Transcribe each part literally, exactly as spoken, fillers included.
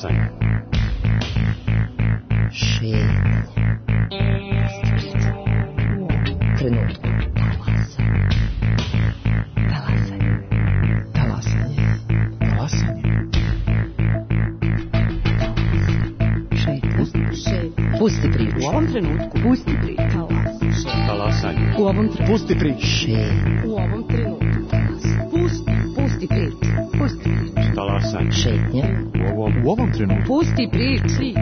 Talasanje. Šetnje. Trenutku. Talasanje. Talasanje. Talasanje. Šetnje. Pusti priču. U ovom trenutku. Pusti priču. Talasanje. U ovom trenutku. Pusti priču. Šetnje. U ovom trenutku. Pusti. Pusti priču. Pusti priču. Talasanje. Šetnje. U ovom, U ovom trenutku. Pusti priču.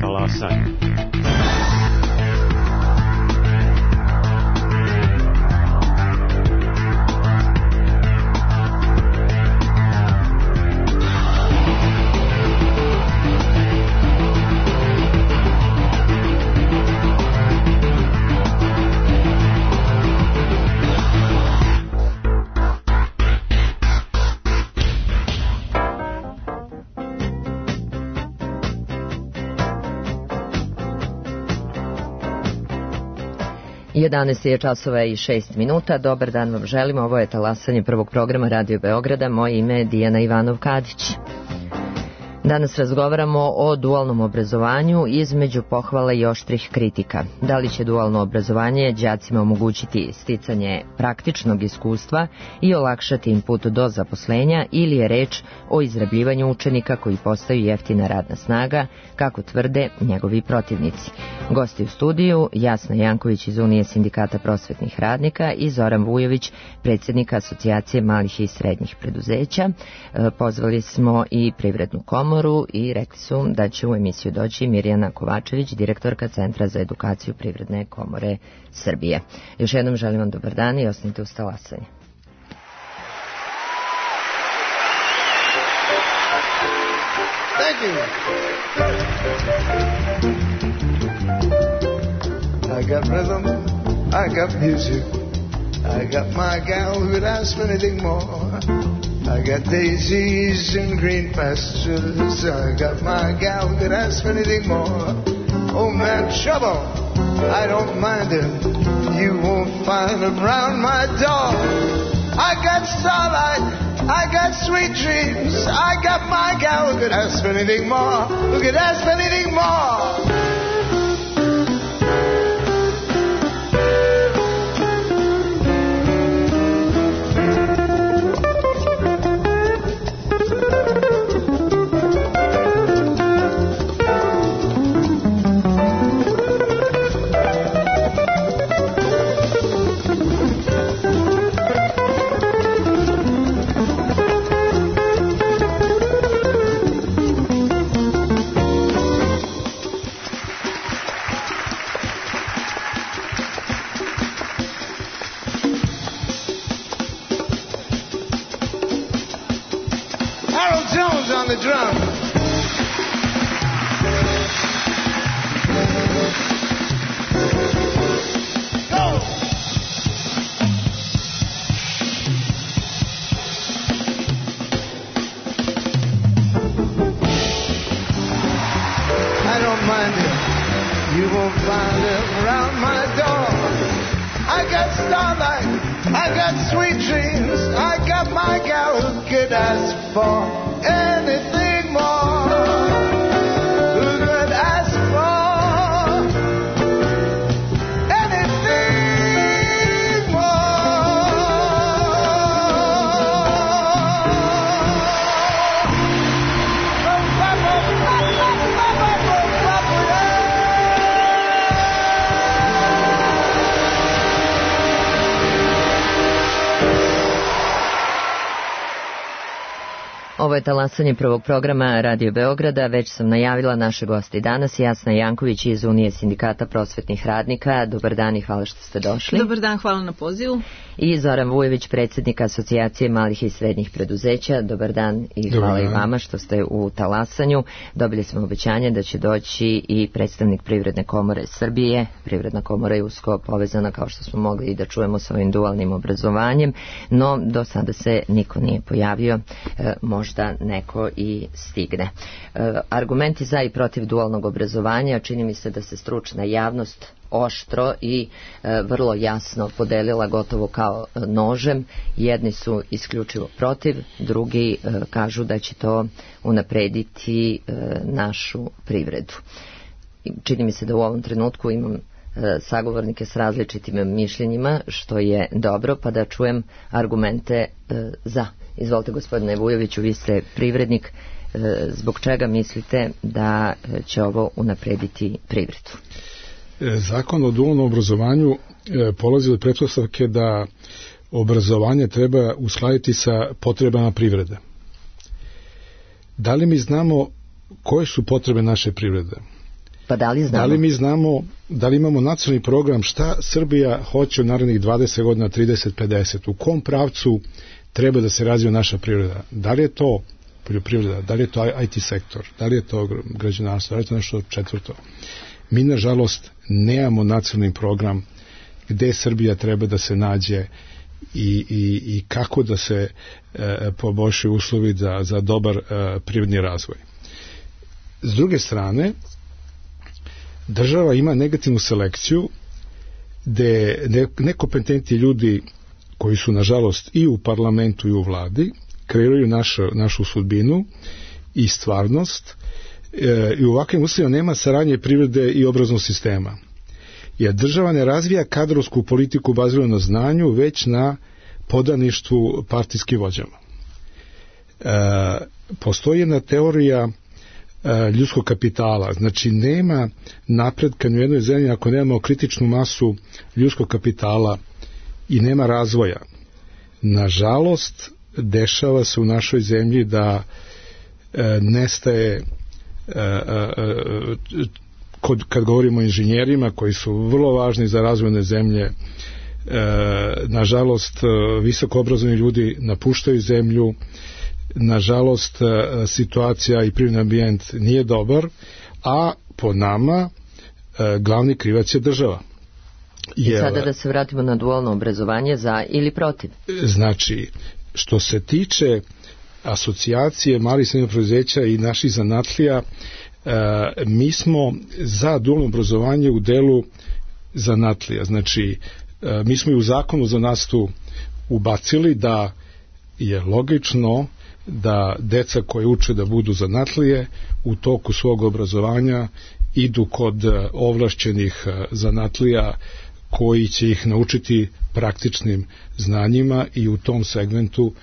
talasanje. jedanaest je časova i šest minuta. Dobar dan vam želimo. Ovo je talasanje prvog programa Radio Beograda. Moje ime je Dijana Ivanov-Kadić. Danas razgovaramo o dualnom obrazovanju između pohvala i oštrih kritika. Da li će dualno obrazovanje đacima omogućiti sticanje praktičnog iskustva i olakšati im put do zaposlenja, ili je reč o izrabljivanju učenika koji postaju jeftina radna snaga, kako tvrde njegovi protivnici. Gosti u studiju Jasna Janković iz Unije sindikata prosvetnih radnika i Zoran Vujović, predsjednika Asocijacije malih i srednjih preduzeća. Pozvali smo i Privrednu komoru i rekli su da će u emisiju doći Mirjana Kovačević, direktorka Centra za edukaciju Privredne komore Srbije. Još jednom želim vam dobar dan i ostanite uz talasanje. Thank you. I got rhythm, I got music, I got my gal who'd ask for anything more. I got daisies and green pastures, I got my gal who'd ask for anything more. Oh man, trouble, I don't mind him, you won't find him round my door. I got starlight, I got sweet dreams, I got my gal who could ask for anything more, who could ask for anything more. On the drum. Go! I don't mind it. You won't find it around my door. I got starlight. I got sweet dreams. I got my gal who could ask for anything more. Who could ask for anything Ovo je talasanje prvog programa Radio Beograda. Već sam najavila naše goste danas. Jasna Janković iz Unije sindikata prosvetnih radnika. Dobar dan i hvala što ste došli. Dobar dan, hvala na pozivu. I Zoran Vujović, predsjednik Asocijacije malih i srednjih preduzeća. Dobar dan i hvala Dobar. i vama što ste u talasanju. Dobili smo obećanje da će doći i predstavnik Privredne komore Srbije. Privredna komora je usko povezana, kao što smo mogli i da čujemo, sa ovim dualnim obrazovanjem, no do sada se niko nije pojavio. E, možda neko i stigne. E, argumenti za i protiv dualnog obrazovanja, čini mi se da se stručna javnost oštro i e, vrlo jasno podelila gotovo kao e, nožem. Jedni su isključivo protiv, drugi e, kažu da će to unaprediti e, našu privredu. Čini mi se da u ovom trenutku imam e, sagovornike s različitim mišljenjima, što je dobro, pa da čujem argumente e, za. Izvolite, gospodine Vujoviću, vi ste privrednik. E, zbog čega mislite da će ovo unaprediti privredu? Zakon o dualnom obrazovanju polazi od pretpostavke da obrazovanje treba uskladiti sa potrebama privrede. Da li mi znamo koje su potrebe naše privrede? Pa da li znamo? Da li mi znamo, da li imamo nacionalni program šta Srbija hoće u narednih dvadeset godina, trideset, pedeset? U kom pravcu treba da se razvija naša privreda? Da li je to poljoprivreda, da li je to I T sektor, da li je to građevinarstvo, da li je to nešto četvrto? Mi, nažalost, nemamo nacionalni program gde Srbija treba da se nađe i, i, i kako da se e, poboljšaju uslovi za, za dobar e, privredni razvoj. S druge strane, država ima negativnu selekciju gde ne, nekompetentni ljudi koji su, nažalost, i u parlamentu i u vladi, kreiraju našu, našu sudbinu i stvarnost, e, i u ovakvim uslovima nema saradnje privrede i obrazovnog sistema. Jer država ne razvija kadrovsku politiku baziranu na znanju, već na podaništvu partijskim vođama. E, postoji jedna teorija e, ljudskog kapitala, znači nema napretka ni u jednoj zemlji ako nemamo kritičnu masu ljudskog kapitala i nema razvoja. Nažalost, dešava se u našoj zemlji da e, nestaje e, e, kod, kad govorimo o inženjerima koji su vrlo važni za razvojne zemlje, e, nažalost visoko obrazovani ljudi napuštaju zemlju, nažalost situacija i privredni ambijent nije dobar, a po nama e, glavni krivac je država. I sada da se vratimo na dualno obrazovanje, za ili protiv? Znači, što se tiče asocijacije malih i srednjih preduzeća i naših zanatlija, e, mi smo za dualno obrazovanje u delu zanatlija. Znači, e, mi smo i u zakonu za nastavu ubacili da je logično da deca koje uče da budu zanatlije u toku svog obrazovanja idu kod ovlašćenih zanatlija koji će ih naučiti praktičnim znanjima i u tom segmentu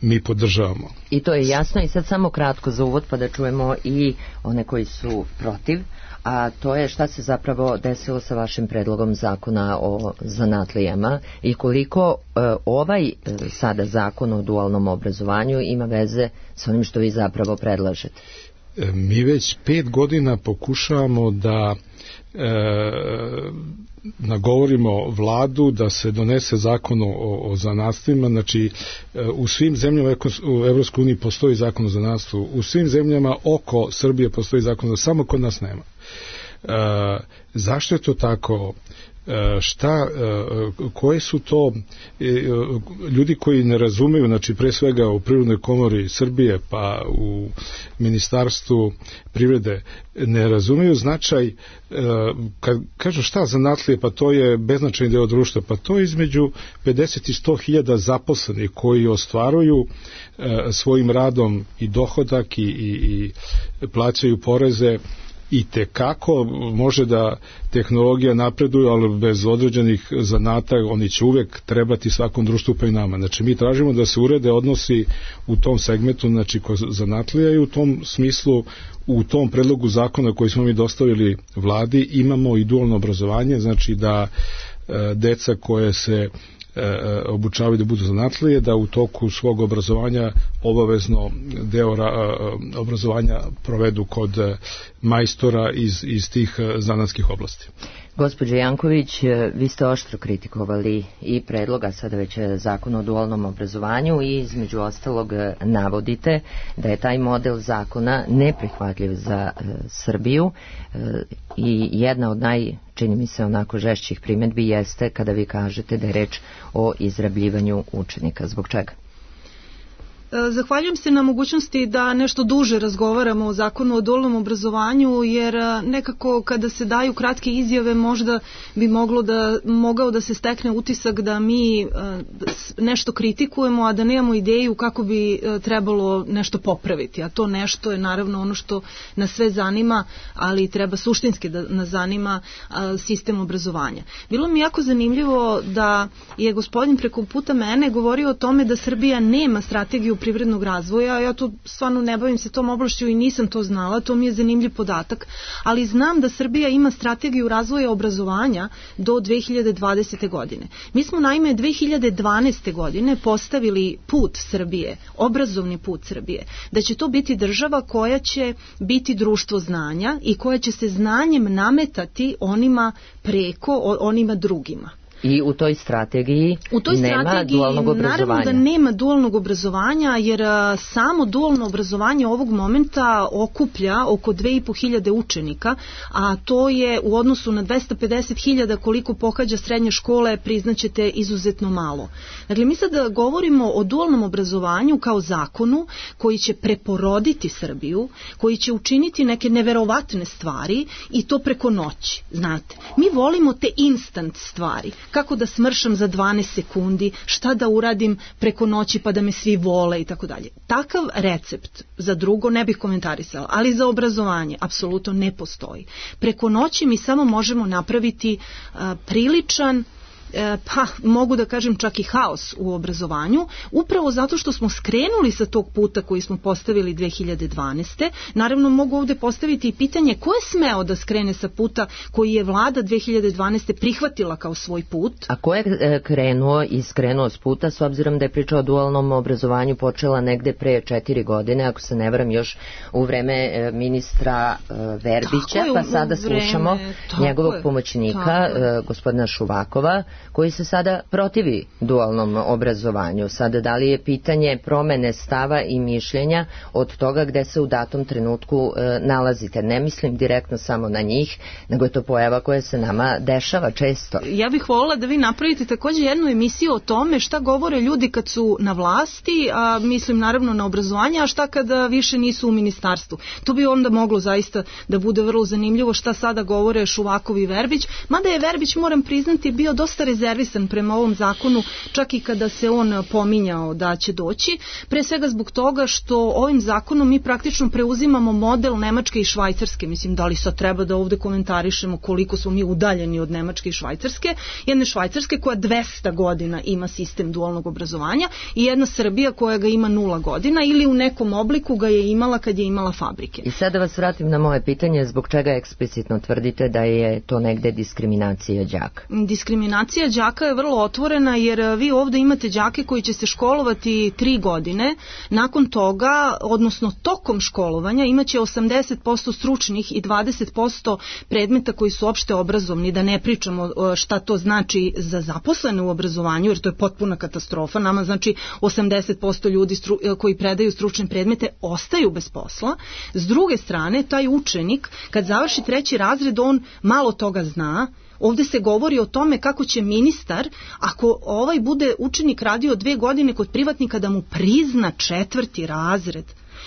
mi podržavamo. I to je jasno. I sad samo kratko za uvod pa da čujemo i one koji su protiv, a to je šta se zapravo desilo sa vašim predlogom zakona o zanatlijama i koliko e, ovaj e, sada zakon o dualnom obrazovanju ima veze sa onim što vi zapravo predlažete. E, mi već pet godina pokušavamo da e, nagovorimo vladu da se donese zakon o, o zanatstvima. Znači, u svim zemljama u Evropskoj uniji postoji zakon o zanatstvu, u svim zemljama oko Srbije postoji zakon, samo kod nas nema. E, zašto je to tako? E, šta, e, koje su to e, ljudi koji ne razumeju, znači pre svega u Privrednoj komori Srbije pa u Ministarstvu privrede ne razumeju značaj, e, kad kažu šta zanatlije, pa to je beznačajni deo društva, pa to je između pedeset i sto hiljada zaposlenih koji ostvaruju e, svojim radom i dohodak i, i, i plaćaju poreze. I tekako može da tehnologija napreduje, ali bez određenih zanata oni će uvek trebati svakom društvu pa i nama. Znači mi tražimo da se urede odnosi u tom segmentu, znači kod zanatlija, i u tom smislu u tom predlogu zakona koji smo mi dostavili vladi imamo i dualno obrazovanje, znači da e, deca koje se e, obučavaju da budu zanatlije, da u toku svog obrazovanja obavezno deo ra, obrazovanja provedu kod majstora iz, iz tih zanatskih oblasti. Gospođo Janković, vi ste oštro kritikovali i predloga sada već zakon o dualnom obrazovanju i između ostalog navodite da je taj model zakona neprihvatljiv za e, Srbiju e, i jedna od naj, čini mi se onako žešćih primjedbi jeste kada vi kažete da je reč o izrabljivanju učenika. Zbog čega? Zahvaljujem se na mogućnosti da nešto duže razgovaramo o zakonu o dualnom obrazovanju, jer nekako kada se daju kratke izjave možda bi moglo da, mogao da se stekne utisak da mi nešto kritikujemo, a da nemamo ideju kako bi trebalo nešto popraviti. A to nešto je naravno ono što nas sve zanima, ali treba suštinski da nas zanima sistem obrazovanja. Bilo mi jako zanimljivo da je gospodin preko puta mene govorio o tome da Srbija nema strategiju privrednog razvoja. Ja tu stvarno ne bavim se tom oblašću i nisam to znala, to mi je zanimljiv podatak, ali znam da Srbija ima strategiju razvoja obrazovanja do dve hiljade dvadesete. godine. Mi smo naime dve hiljade dvanaeste. godine postavili put Srbije, obrazovni put Srbije, da će to biti država koja će biti društvo znanja i koja će se znanjem nametati onima preko, onima drugima. I u toj strategiji u toj nema strategiji, dualnog obrazovanja. Naravno da nema dualnog obrazovanja, jer a, samo dualno obrazovanje ovog momenta okuplja oko dve i po hiljade učenika, a to je u odnosu na dvesta pedeset hiljada koliko pohađa srednje škole, priznaćete, izuzetno malo. Dakle, mi sad govorimo o dualnom obrazovanju kao zakonu koji će preporoditi Srbiju, koji će učiniti neke neverovatne stvari i to preko noći, znate. Mi volimo te instant stvari. Kako da smršam za dvanaest sekundi, šta da uradim preko noći pa da me svi vole i tako dalje. Takav recept za drugo ne bih komentarisala, ali za obrazovanje apsolutno ne postoji. Preko noći mi samo možemo napraviti a, priličan, pa mogu da kažem čak i haos u obrazovanju, upravo zato što smo skrenuli sa tog puta koji smo postavili dve hiljade dvanaeste. Naravno mogu ovde postaviti i pitanje ko je smeo da skrene sa puta koji je vlada dve hiljade dvanaeste. prihvatila kao svoj put. A ko je krenuo i skrenuo s puta, s obzirom da je priča o dualnom obrazovanju počela negde pre četiri godine, ako se ne varam, još u vreme ministra Verbića, je, pa sada vreme, slušamo njegovog je, pomoćnika, gospodina Šuvakova, koji se sada protivi dualnom obrazovanju. Sada, da li je pitanje promene stava i mišljenja od toga gde se u datom trenutku e, nalazite? Ne mislim direktno samo na njih, nego je to pojava koja se nama dešava često. Ja bih voljela da vi napravite također jednu emisiju o tome šta govore ljudi kad su na vlasti, a mislim naravno na obrazovanje, a šta kada više nisu u ministarstvu. To bi onda moglo zaista da bude vrlo zanimljivo šta sada govore Šuvakov i Verbić, mada je Verbić, moram priznati, bio dosta rezervisan prema ovom zakonu, čak i kada se on pominjao da će doći, pre svega zbog toga što ovim zakonom mi praktično preuzimamo model Nemačke i Švajcarske. Mislim, da li sad treba da ovde komentarišemo koliko smo mi udaljeni od Nemačke i Švajcarske, jedne Švajcarske koja dvesta godina ima sistem dualnog obrazovanja i jedna Srbija koja ga ima nula godina ili u nekom obliku ga je imala kad je imala fabrike. I sad da vas vratim na moje pitanje, zbog čega eksplicitno tvrdite da je to negde diskriminacija đaka? Diskriminacija đaka je vrlo otvorena, jer vi ovde imate đake koji će se školovati tri godine, nakon toga, odnosno tokom školovanja, imaće osamdeset posto stručnih i dvadeset posto predmeta koji su opšte obrazovni, da ne pričamo šta to znači za zaposlene u obrazovanju, jer to je potpuna katastrofa. Nama znači osamdeset posto ljudi stru, koji predaju stručne predmete ostaju bez posla. S druge strane, taj učenik, kad završi treći razred, on malo toga zna. Ovde se govori o tome kako će ministar, ako ovaj bude učenik radio dve godine kod privatnika, da mu prizna četvrti razred.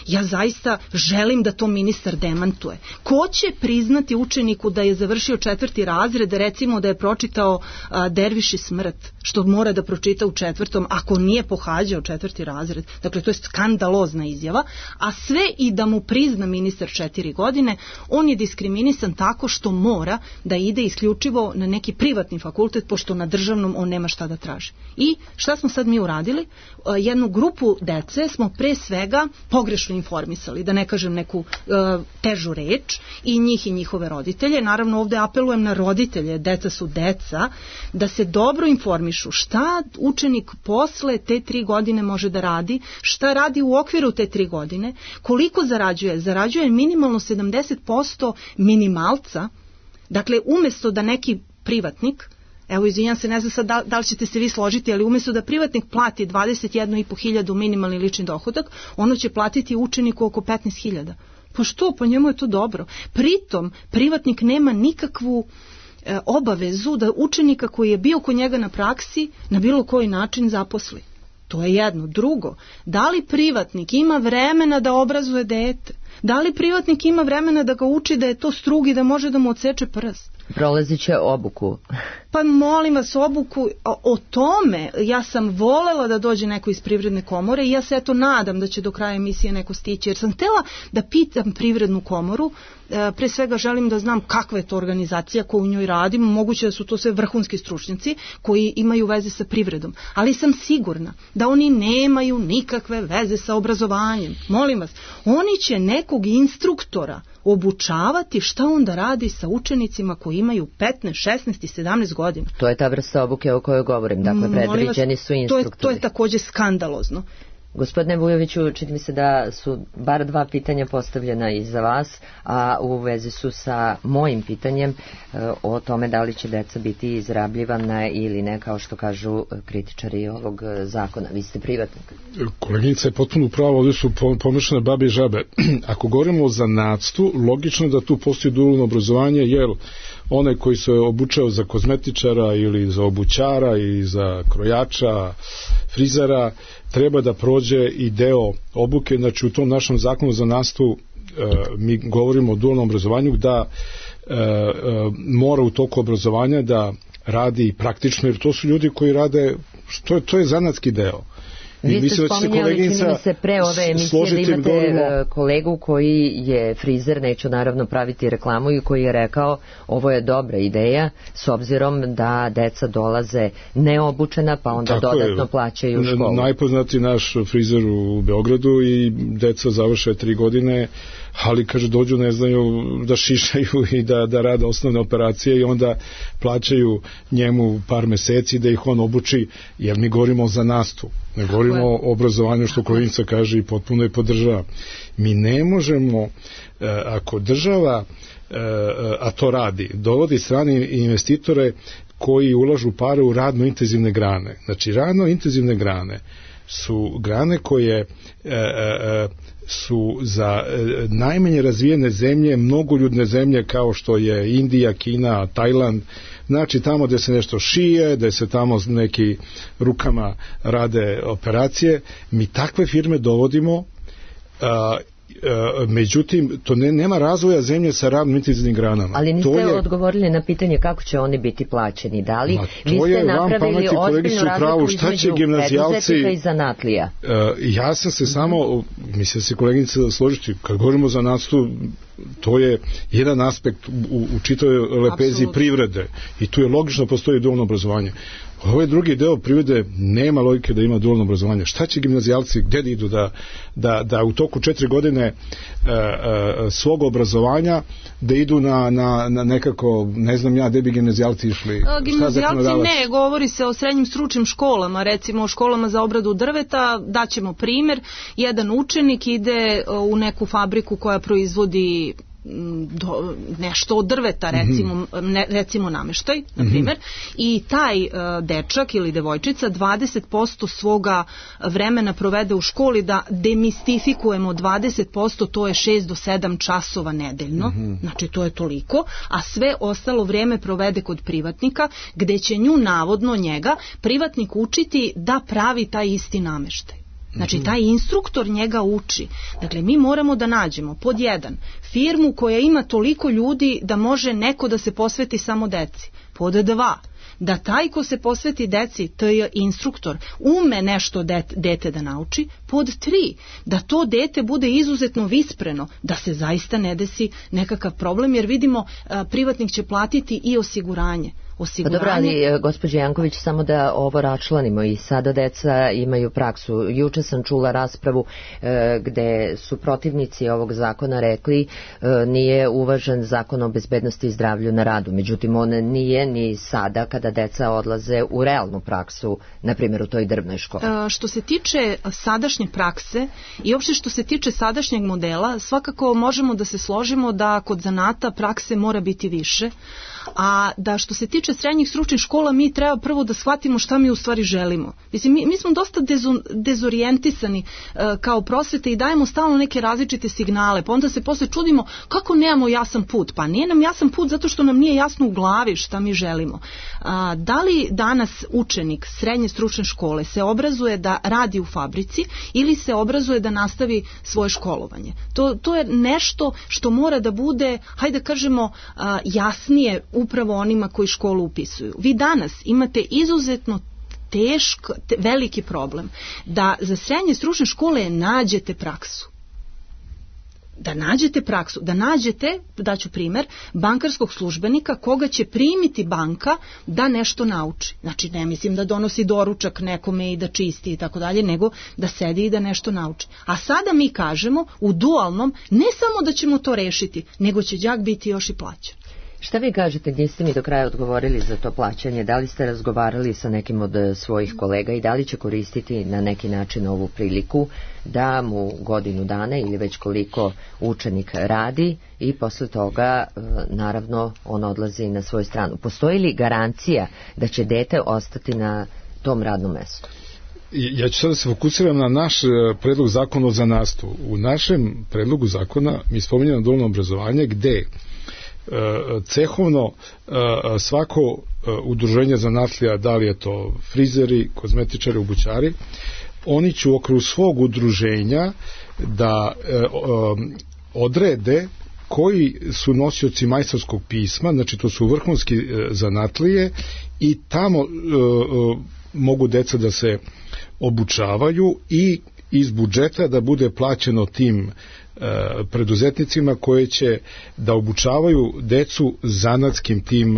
Ja zaista želim da to ministar demantuje. Ko će priznati učeniku da je završio četvrti razred, recimo da je pročitao a, Derviš i smrt, što mora da pročita u četvrtom, ako nije pohađao četvrti razred? Dakle, to je skandalozna izjava, a sve i da mu prizna ministar četiri godine, on je diskriminisan tako što mora da ide isključivo na neki privatni fakultet, pošto na državnom on nema šta da traži. I šta smo sad mi uradili? A, jednu grupu dece smo pre svega pogrešno informisali, da ne kažem neku uh, težu reč, i njih i njihove roditelje. Naravno, ovde apelujem na roditelje, deca su deca, da se dobro informišu šta učenik posle te tri godine može da radi, šta radi u okviru te tri godine, koliko zarađuje. Zarađuje minimalno sedamdeset posto minimalca. Dakle, umesto da neki privatnik, evo, izvinjam se, ne znam sad da, da li ćete se vi složiti, ali umjesto da privatnik plati dvadeset jednu i po hiljadu minimalni lični dohodak, ono će platiti učeniku oko petnaest hiljada. Pa što? Pa njemu je to dobro. Pritom, privatnik nema nikakvu e, obavezu da učenika koji je bio kod njega na praksi na bilo koji način zaposli. To je jedno. Drugo, da li privatnik ima vremena da obrazuje dete? Da li privatnik ima vremena da ga uči da je to strug i da može da mu odseče prst? Prolazit će obuku. Pa molim vas, obuku o, o tome. Ja sam volela da dođe neko iz Privredne komore i ja se eto nadam da će do kraja emisije neko stići, jer sam htela da pitam Privrednu komoru. E, pre svega želim da znam kakva je to organizacija koju u njoj radim. Moguće da su to sve vrhunski stručnjaci koji imaju veze sa privredom, ali sam sigurna da oni nemaju nikakve veze sa obrazovanjem. Molim vas, oni će nekog instruktora obučavati šta on da radi sa učenicima koji imaju petnaest, šesnaest i sedamnaest godina. To je ta vrsta obuke o kojoj govorim, dakle predviđeni su instruktori. To je, to je takođe skandalozno. Gospodine Vujoviću, čini mi se da su bar dva pitanja postavljena i za vas, a u vezi su sa mojim pitanjem e, o tome da li će deca biti izrabljivana ili ne, kao što kažu kritičari ovog zakona. Vi ste privatnik. Koleginica je potpuno pravo, ovdje su pomešane babe i žabe. Ako govorimo o zanatstvu, logično da tu postoji dualno obrazovanje, jer onaj koji se obučao za kozmetičara ili za obućara i za krojača, frizera, treba da prođe i deo obuke. Znači u tom našem zakonu za nastavu e, mi govorimo o dualnom obrazovanju, da e, e, mora u toku obrazovanja da radi praktično, jer to su ljudi koji rade, to je, to je zanatski deo. Vi ste spominjali, čini mi se, pre ove emisije da imate govorimo... kolegu koji je frizer, neću naravno praviti reklamu, i koji je rekao ovo je dobra ideja s obzirom da deca dolaze neobučena, pa onda tako dodatno je, plaćaju školu. Najpoznati naš frizer u Beogradu i deca završe tri godine, ali kaže dođu, ne znaju da šišaju i da, da rade osnovne operacije i onda plaćaju njemu par meseci da ih on obuči, jer mi govorimo o zanastu, ne govorimo o obrazovanju, što koleginica kaže i potpuno je podržava. Mi ne možemo, ako država, a to radi, dovodi strane investitore koji ulažu pare u radno intenzivne grane. Znači radno intenzivne grane su grane koje su za najmanje razvijene zemlje, mnogoljudne zemlje kao što je Indija, Kina, Tajland, znači tamo gde se nešto šije, gde se tamo neki rukama rade operacije, mi takve firme dovodimo, a, a, međutim, to ne, nema razvoja zemlje sa radno intenzivnim granama. Ali niste to je... odgovorili na pitanje kako će oni biti plaćeni. Da li vi ste napravili ozbiljnu razliku između preduzetnika i zanatlija? Uh, ja sam se samo, mislim se koleginica da složiti, kad govorimo o zanatstvu, to je jedan aspekt u, u čitavoj lepezi Absolutno. Privrede i tu je logično postoji dualno obrazovanje. Ovaj drugi deo privrede nema logike da ima dualno obrazovanje. Šta će gimnazijalci, gde da idu da, da, da u toku četiri godine e, e, svog obrazovanja da idu na, na, na nekako, ne znam ja, gde bi gimnazijalci išli? A, gimnazijalci ne, govori se o srednjim stručnim školama, recimo o školama za obradu drveta. Daćemo primer, jedan učenik ide u neku fabriku koja proizvodi do, nešto od drveta, recimo, ne, recimo nameštaj, na primjer, mm-hmm. i taj uh, dečak ili devojčica dvadeset posto svoga vremena provede u školi, da demistifikujemo dvadeset posto, to je šest do sedam časova nedeljno, mm-hmm. znači to je toliko, a sve ostalo vrijeme provede kod privatnika, gde će nju navodno njega privatnik učiti da pravi taj isti nameštaj. Znači, taj instruktor njega uči. Dakle, mi moramo da nađemo, pod jedan, firmu koja ima toliko ljudi da može neko da se posveti samo deci. Pod dva, da taj ko se posveti deci, to je instruktor, ume nešto det, dete da nauči. Pod tri, da to dete bude izuzetno vispreno, da se zaista ne desi nekakav problem, jer vidimo, a, privatnik će platiti i osiguranje. Pa dobro, ali gospođe Janković, samo da ovo račlanimo, i sada deca imaju praksu. Juče sam čula raspravu e, gde su protivnici ovog zakona rekli e, nije uvažen zakon o bezbednosti i zdravlju na radu. Međutim, on nije ni sada kada deca odlaze u realnu praksu, na primjer u toj drvnoj školi. E, što se tiče sadašnje prakse i uopšte što se tiče sadašnjeg modela, svakako možemo da se složimo da kod zanata prakse mora biti više, a da što se tiče tiče srednjih stručnih škola, mi treba prvo da shvatimo šta mi u stvari želimo. Mislim, mi, mi smo dosta dezo, dezorijentisani uh, kao prosvete i dajemo stalno neke različite signale, pa onda se posle čudimo kako nemamo jasan put. Pa nije nam jasan put zato što nam nije jasno u glavi šta mi želimo. Uh, da li danas učenik srednje stručne škole se obrazuje da radi u fabrici ili se obrazuje da nastavi svoje školovanje? To, to je nešto što mora da bude, hajde da kažemo, uh, jasnije upravo onima koji školu upisuju. Vi danas imate izuzetno teško, te, veliki problem da za srednje stručne škole nađete praksu. Da nađete praksu, da nađete, daću primer, bankarskog službenika koga će primiti banka da nešto nauči. Znači, ne mislim da donosi doručak nekome i da čisti i tako dalje, nego da sedi i da nešto nauči. A sada mi kažemo u dualnom ne samo da ćemo to rešiti, nego će đak biti još i plaćen. Šta vi kažete, niste mi do kraja odgovorili za to plaćanje, da li ste razgovarali sa nekim od svojih kolega i da li će koristiti na neki način ovu priliku da mu godinu dana ili već koliko učenik radi i posle toga naravno on odlazi na svoju stranu. Postoji li garancija da će dete ostati na tom radnom mestu? Ja ću sada se fokusiram na naš predlog zakona o zanatstvu. U našem predlogu zakona mi spominjamo dualno obrazovanje gde cehovno svako udruženje zanatlija, da li je to frizeri, kozmetičari, obućari, oni će u okviru svog udruženja da odrede koji su nosioci majstorskog pisma, znači to su vrhunski zanatlije i tamo mogu deca da se obučavaju i iz budžeta da bude plaćeno tim preduzetnicima koje će da obučavaju decu zanatskim tim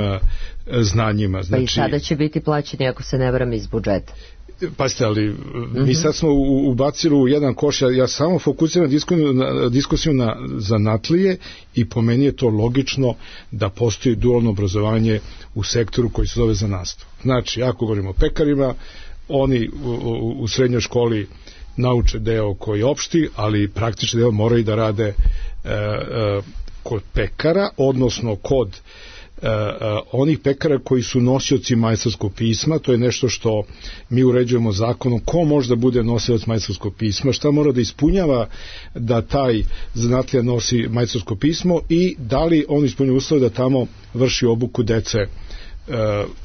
znanjima. Znači, pa i sada će biti plaćeni, ako se ne varam, iz budžeta. Pazite, ali mm-hmm. mi sad smo ubacili u jedan koš, ja, ja samo fokusiram diskusiju na, diskusiju na zanatlije i po meni je to logično da postoji dualno obrazovanje u sektoru koji se zove zanatstvo. Znači, ako govorimo o pekarima, oni u, u, u srednjoj školi nauče deo koji je opšti, ali praktični deo moraju da rade e, e, kod pekara, odnosno kod e, e, onih pekara koji su nosioci majstorskog pisma. To je nešto što mi uređujemo zakonom, ko može da bude nosilac majstorskog pisma, šta mora da ispunjava da taj zanatlija nosi majstorsko pismo i da li on ispunjava uslove da tamo vrši obuku dece. E,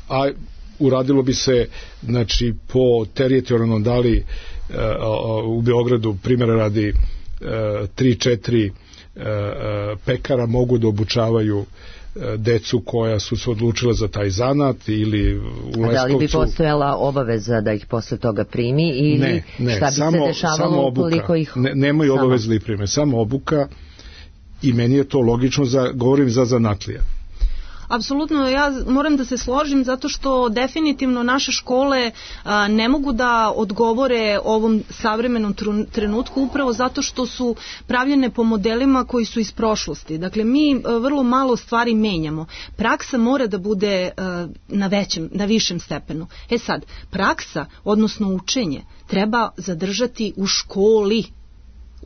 a uradilo bi se, znači, po teritorijalno, da li u Beogradu, primjera radi, tri četiri pekara mogu da obučavaju decu koja su se odlučila za taj zanat ili u Leskovcu. A da li bi postojala obaveza da ih posle toga primi ili ne, ne, šta bi samo, se dešavalo ukoliko ih... Ne, nemaju obaveze da ih prime, samo obuka i meni je to logično, za, govorim za zanatlija. Apsolutno, ja moram da se složim zato što definitivno naše škole a, ne mogu da odgovore ovom savremenom trenutku upravo zato što su pravljene po modelima koji su iz prošlosti. Dakle, mi a, vrlo malo stvari menjamo. Praksa mora da bude a, na većem, na višem stepenu. E sad, praksa, odnosno učenje, treba zadržati u školi.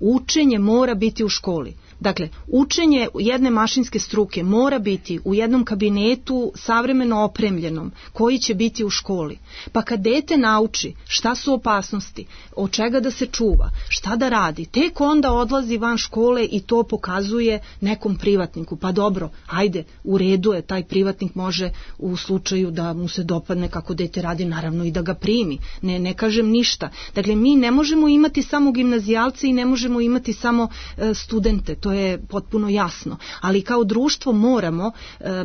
Učenje mora biti u školi. Dakle, učenje jedne mašinske struke mora biti u jednom kabinetu savremeno opremljenom, koji će biti u školi. Pa kad dete nauči šta su opasnosti, od čega da se čuva, šta da radi, tek onda odlazi van škole i to pokazuje nekom privatniku. Pa dobro, ajde, u redu je, taj privatnik može u slučaju da mu se dopadne kako dete radi, naravno i da ga primi. Ne, ne kažem ništa. Dakle, mi ne možemo imati samo gimnazijalce i ne možemo imati samo e, studente. To je potpuno jasno, ali kao društvo moramo,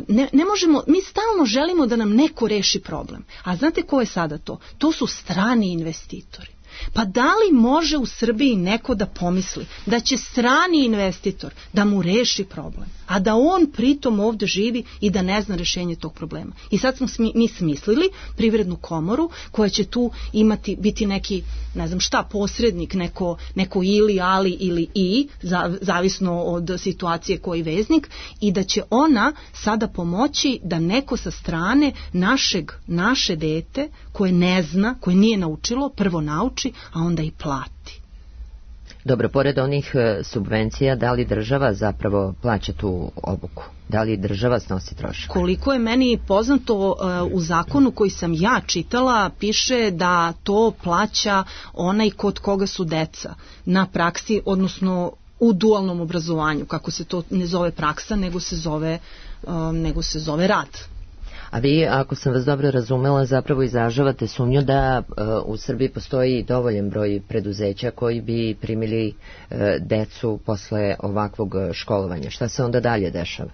ne, ne možemo, mi stalno želimo da nam neko reši problem, a znate ko je sada to? To su strani investitori. Pa da li može u Srbiji neko da pomisli da će strani investitor da mu reši problem, a da on pritom ovde živi i da ne zna rešenje tog problema? I sad smo smi, mi smislili privrednu komoru koja će tu imati, biti neki, ne znam šta, posrednik, neko, neko ili, ali ili i, za, zavisno od situacije koji veznik, i da će ona sada pomoći da neko sa strane našeg, naše dete koje ne zna, koje nije naučilo, prvo nauči, a onda i plati. Dobro, pored onih subvencija, da li država zapravo plaća tu obuku? Da li država snosi trošak? Koliko je meni poznato, u zakonu koji sam ja čitala piše da to plaća onaj kod koga su deca na praksi, odnosno u dualnom obrazovanju, kako se to ne zove praksa, nego se zove, nego se zove rad. A vi, ako sam vas dobro razumela, zapravo izražavate sumnju da uh, u Srbiji postoji dovoljan broj preduzeća koji bi primili uh, decu posle ovakvog školovanja. Šta se onda dalje dešava?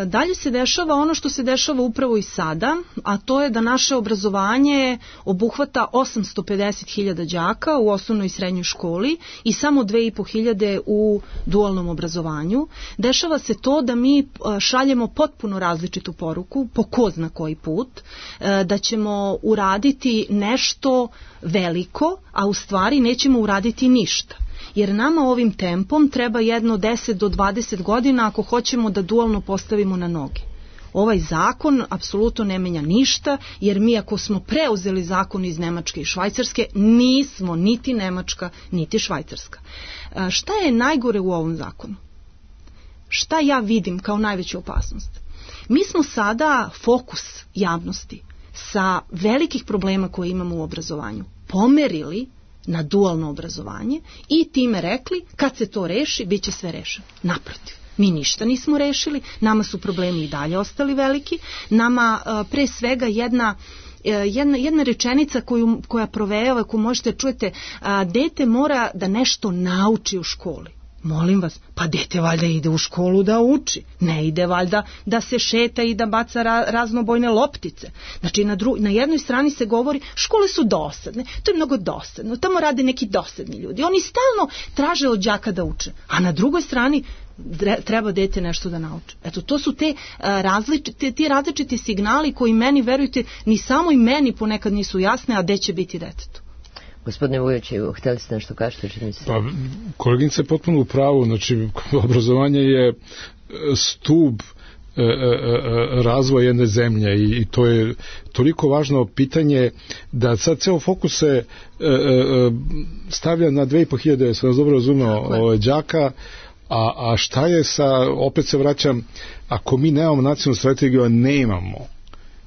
Dalje se dešava ono što se dešava upravo i sada, a to je da naše obrazovanje obuhvata osamsto pedeset hiljada đaka u osnovnoj i srednjoj školi i samo dve i po hiljade u dualnom obrazovanju. Dešava se to da mi šaljemo potpuno različitu poruku, po ko zna koji put, da ćemo uraditi nešto veliko, a u stvari nećemo uraditi ništa. Jer nama ovim tempom treba jedno deset do dvadeset godina ako hoćemo da dualno postavimo na noge. Ovaj zakon apsolutno ne menja ništa, jer mi ako smo preuzeli zakon iz Nemačke i Švajcarske, nismo niti Nemačka, niti Švajcarska. Šta je najgore u ovom zakonu? Šta ja vidim kao najveću opasnost? Mi smo sada fokus javnosti sa velikih problema koje imamo u obrazovanju pomerili na dualno obrazovanje i time rekli kad se to reši, bit će sve rešeno. Naprotiv, mi ništa nismo rešili, nama su problemi i dalje ostali veliki, nama pre svega jedna Jedna, jedna rečenica koju, koja provejava, koju možete čujete, a, dete mora da nešto nauči u školi. Molim vas, pa dete valjda ide u školu da uči, ne ide valjda da se šeta i da baca ra, raznobojne loptice. Znači na, dru, na jednoj strani se govori škole su dosadne, to je mnogo dosadno, tamo rade neki dosadni ljudi, oni stalno traže od đaka da uče, a na drugoj strani treba dete nešto da nauči. Eto, to su te različite, ti različiti signali koji meni, verujte, ni samo i meni ponekad nisu jasne, a gde će biti detetu. Gospodine Vujoviću, hteli ste nešto kažete? Pa, koleginica je potpuno u pravu, znači obrazovanje je stub e, e, razvoja jedne zemlje i, i to je toliko važno pitanje da sad ceo fokus se e, e, stavlja na dve i po hiljade, sam vas dobro razumeo, đaka, a, a šta je sa, opet se vraćam, ako mi nemamo nacionalnu strategiju, a nemamo,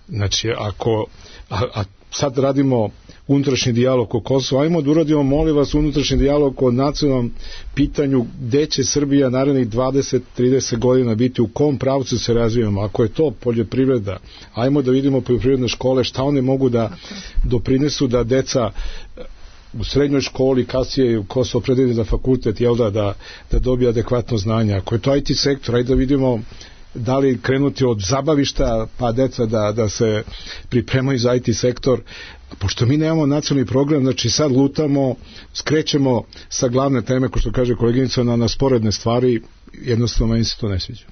znači ako, a, a sad radimo unutrašnji dijalog o Kosovu, ajmo da uradimo, molim vas, unutrašnji dijalog o nacionalnom pitanju gde će Srbija narednih dvadeset do trideset godina biti, u kom pravcu se razvijamo. Ako je to poljoprivreda, ajmo da vidimo poljoprivredne škole, šta one mogu da doprinesu da deca u srednjoj školi, kasnije ko se opredeli za fakultet, jel da, da, da dobije adekvatno znanje. Ako je to I T sektor, ajde da vidimo da li krenuti od zabavišta pa deca da, da se pripremaju za I T sektor. Pošto mi nemamo nacionalni program, znači sad lutamo, skrećemo sa glavne teme, ko što kaže koleginica, na, na sporedne stvari, jednostavno meni se to ne sviđa.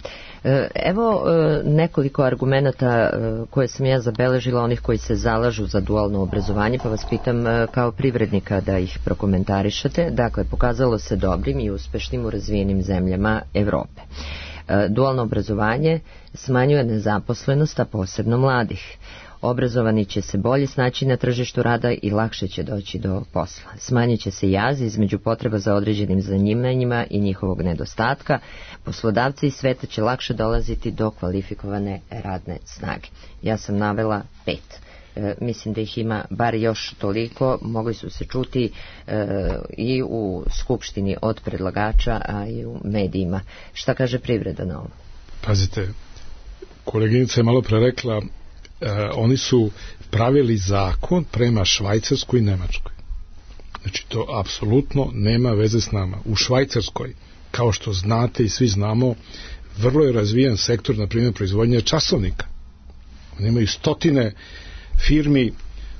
Evo nekoliko argumenata koje sam ja zabeležila, onih koji se zalažu za dualno obrazovanje, pa vas pitam kao privrednika da ih prokomentarišete. Dakle, pokazalo se dobrim i uspešnim u razvijenim zemljama Evrope. Dualno obrazovanje smanjuje nezaposlenost, a posebno mladih. Obrazovani će se bolje snaći na tržištu rada i lakše će doći do posla. Smanjit će se jaz između potreba za određenim zanimanjima i njihovog nedostatka. Poslodavci iz sveta će lakše dolaziti do kvalifikovane radne snage. Ja sam navela pet. E, mislim da ih ima bar još toliko, mogli su se čuti e, i u skupštini od predlagača, a i u medijima. Šta kaže privreda na ovo? Pazite, koleginica je malo pre rekla, Uh, oni su pravili zakon prema Švajcarskoj i Nemačkoj. Znači to apsolutno nema veze s nama. U Švajcarskoj, kao što znate i svi znamo, vrlo je razvijen sektor, na primjer, proizvodnje časovnika. Oni imaju stotine firmi,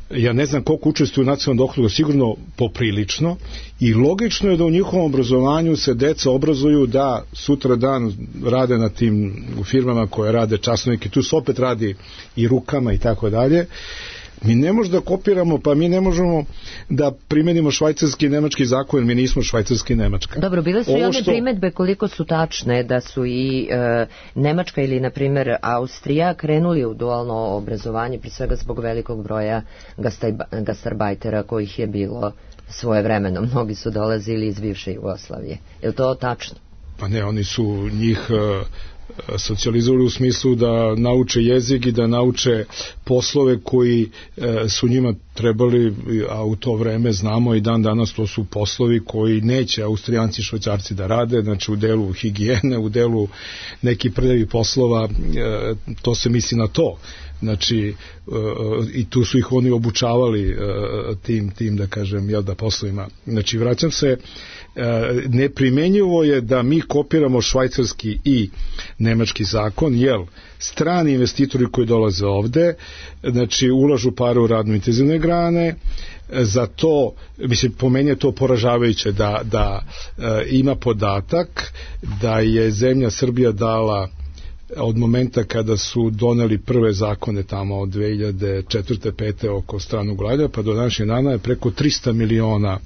ja ne znam koliko učestvuju u nacionalnom dohotku, sigurno poprilično, i logično je da u njihovom obrazovanju se deca obrazuju da sutra dan rade na tim firmama koje rade časovnike, tu se opet radi i rukama i tako dalje. Mi ne možemo da kopiramo, pa mi ne možemo da primenimo švajcarski i nemački zakon, jer mi nismo švajcarski i nemačka. Dobro, bile su i one što... primetbe koliko su tačne, da su i e, Nemačka ili, na primjer, Austrija krenuli u dualno obrazovanje, pri svega zbog velikog broja gastarbajtera kojih je bilo svoje vremeno. Mnogi su dolazili iz bivše Jugoslavije. Je li to tačno? Pa ne, oni su njih uh, socijalizovali u smislu da nauče jezik i da nauče poslove koji uh, su njima trebali, a u to vreme znamo i dan danas to su poslovi koji neće Austrijanci i Švajcarci da rade, znači u delu higijene, u delu nekih prljavih poslova, uh, to se misli na to. Znači uh, i tu su ih oni obučavali uh, tim, tim da kažem, jel da, poslovima. Znači vraćam se, uh, neprimenjivo je da mi kopiramo švajcarski i nemački zakon, jel strani investitori koji dolaze ovde, znači ulažu pare u radno intenzivne grane, za to, mislim, po meni je to poražavajuće da, da uh, ima podatak da je zemlja Srbija dala od momenta kada su doneli prve zakone tamo od dve hiljade četvrte pete oko stranog ulaganja pa do današnjeg dana je preko trista miliona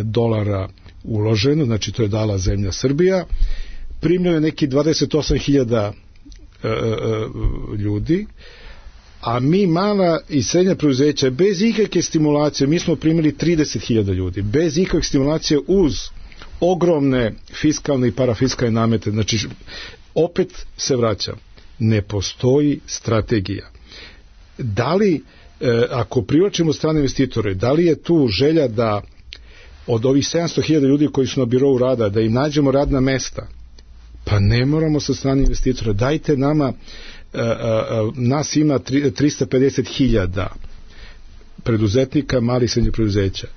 dolara uloženo, znači to je dala zemlja Srbija. Primljeno je neki dvadeset osam hiljada ljudi, a mi mala i srednja preduzeća bez ikakve stimulacije, mi smo primili trideset hiljada ljudi, bez ikakve stimulacije uz ogromne fiskalne i parafiskalne namete. Znači opet se vraćam, ne postoji strategija. Da li, e, ako privlačimo strane investitore, da li je tu želja da od ovih sedamsto hiljada ljudi koji su na birovu rada, da im nađemo radna mesta? Pa ne moramo sa strane investitora. Dajte nama, e, e, nas ima trista pedeset hiljada preduzetnika, malih i srednjih preduzeća.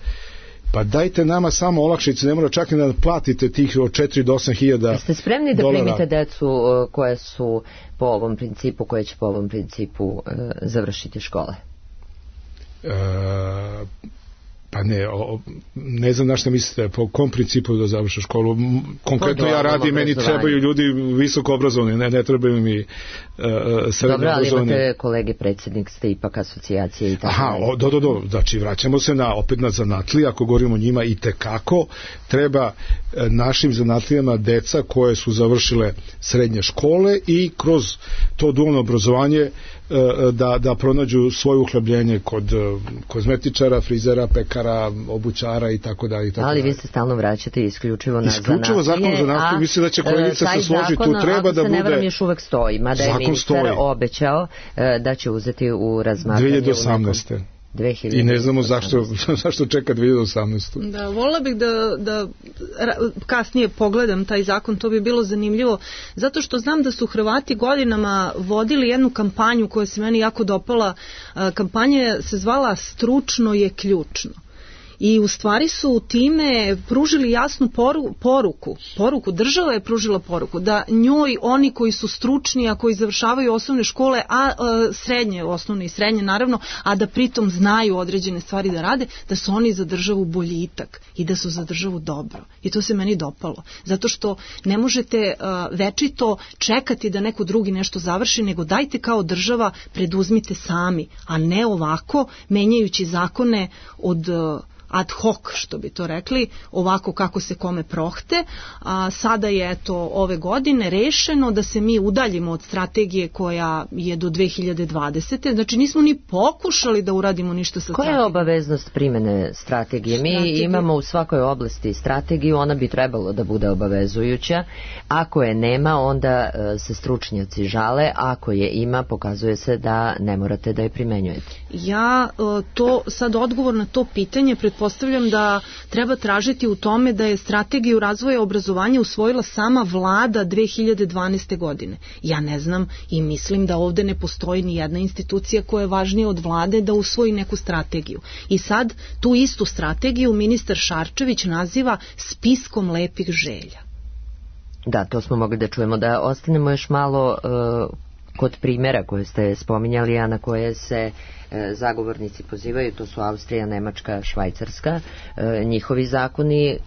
Pa dajte nama samo olakšice, ne mora čak i da platite tih od četiri do osam hiljada dolara. Jeste spremni da primite decu koje su po ovom principu, koje će po ovom principu e, završiti škole? E, pa ne, o, ne znam na što mislite, po kom principu da završe školu. Konkretno ja radim, meni trebaju ljudi visoko obrazovani, ne, ne trebaju mi uh, srednje Dobro, ali obrazovani. imate kolege, predsjednik ste ipak asocijacije i tako. Aha, o, do, do, do, znači vraćamo se na, opet na zanatlije, ako govorimo o njima i tekako, treba e, našim zanatlijama deca koje su završile srednje škole i kroz to dualno obrazovanje e, da, da pronađu svoje uhlebljenje kod e, kozmetičara, frizera, pekara, obućara i tako dalje. Ali vi se stalno vraćate isključivo na isključivo zanatlije. Isključivo zakon zanatlije, mislim da će kolegica se složiti, tu treba da bude... Taj zakon, ako se ne varam, još uvek stoji, mada je ministar stoji. obećao e, da će uzeti u razmatranje... dve hiljade osamnaeste. dve hiljade osamnaeste. I ne znamo zašto, zašto čeka dve hiljade osamnaeste. Da, volila bih da, da kasnije pogledam taj zakon, to bi bilo zanimljivo, zato što znam da su Hrvati godinama vodili jednu kampanju koja se meni jako dopala. Kampanja se zvala Stručno je ključno. I u stvari su time pružili jasnu poru, poruku, poruku, država je pružila poruku da njoj oni koji su stručni, a koji završavaju osnovne škole, a, a srednje, osnovne i srednje naravno, a da pritom znaju određene stvari da rade, da su oni za državu boljitak i da su za državu dobro. I to se meni dopalo. Zato što ne možete a, večito čekati da neko drugi nešto završi, nego dajte kao država, preduzmite sami, a ne ovako menjajući zakone od ad hoc, što bi to rekli, ovako kako se kome prohte. A sada je eto ove godine rešeno da se mi udaljimo od strategije koja je do dve hiljade dvadesete. Znači nismo ni pokušali da uradimo ništa sa strategijom. Koja je obaveznost primene strategije? Mi Strategiju. imamo u svakoj oblasti strategiju, ona bi trebalo da bude obavezujuća. Ako je nema, onda se stručnjaci žale, ako je ima, pokazuje se da ne morate da je primenjujete. Ja to sad odgovor na to pitanje pretpostavljam da treba tražiti u tome da je strategiju razvoja obrazovanja usvojila sama vlada dve hiljade dvanaeste. godine. Ja ne znam i mislim da ovde ne postoji ni jedna institucija koja je važnija od vlade da usvoji neku strategiju. I sad tu istu strategiju ministar Šarčević naziva spiskom lepih želja. Da, to smo mogli da čujemo. Da ostanemo još malo uh, kod primjera koje ste spominjali, a na koje se e, zagovornici pozivaju, to su Austrija, Nemačka, Švajcarska. E, njihovi zakoni, e,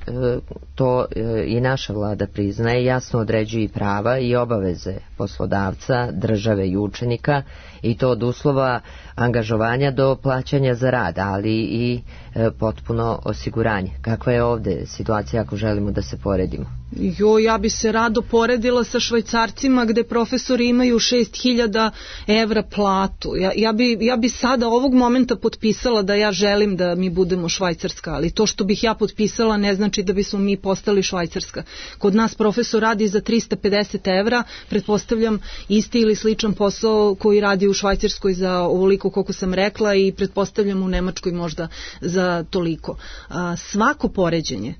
to e, i naša vlada priznaje, jasno određuju i prava i obaveze poslodavca, države i učenika, i to od uslova angažovanja do plaćanja za rad, ali i e, potpuno osiguranje. Kakva je ovde situacija ako želimo da se poredimo? Jo, ja bi se rado poredila sa Švajcarcima gde profesori imaju šest hiljada evra platu. Ja, ja, bi, ja bi sada ovog momenta potpisala da ja želim da mi budemo Švajcarska, ali to što bih ja potpisala ne znači da bismo mi postali Švajcarska. Kod nas profesor radi za trista pedeset evra, pretpostavljam isti ili sličan posao koji radi u Švajcarskoj za ovoliko koliko sam rekla i pretpostavljam u Nemačkoj možda za toliko. A, svako poređenje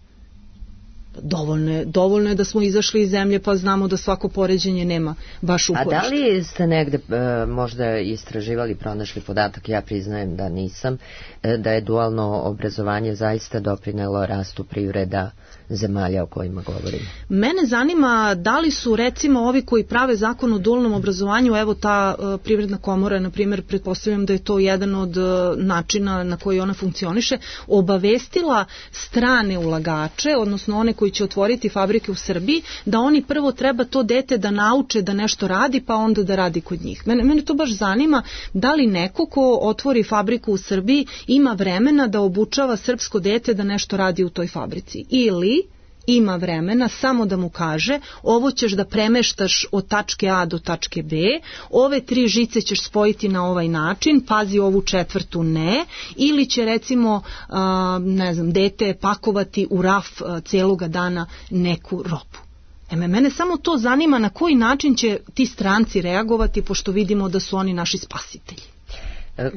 Dovoljno je, dovoljno je da smo izašli iz zemlje pa znamo da svako poređenje nema baš uporište. A da li ste negde e, možda istraživali, pronašli podatak, ja priznajem da nisam, e, da je dualno obrazovanje zaista doprinelo rastu privreda zemalja o kojima govorimo? Mene zanima da li su recimo ovi koji prave zakon o dualnom obrazovanju, evo ta uh, privredna komora, na primjer, pretpostavljam da je to jedan od uh, načina na koji ona funkcioniše, obavestila strane ulagače, odnosno one koji će otvoriti fabrike u Srbiji, da oni prvo treba to dete da nauče da nešto radi, pa onda da radi kod njih. Mene, mene to baš zanima, da li neko ko otvori fabriku u Srbiji ima vremena da obučava srpsko dete da nešto radi u toj fabrici, ili ima vremena samo da mu kaže ovo ćeš da premeštaš od tačke A do tačke B, ove tri žice ćeš spojiti na ovaj način, pazi ovu četvrtu ne, ili će recimo a, ne znam, dete pakovati u raf a, celoga dana neku robu. E, mene samo to zanima na koji način će ti stranci reagovati, pošto vidimo da su oni naši spasitelji.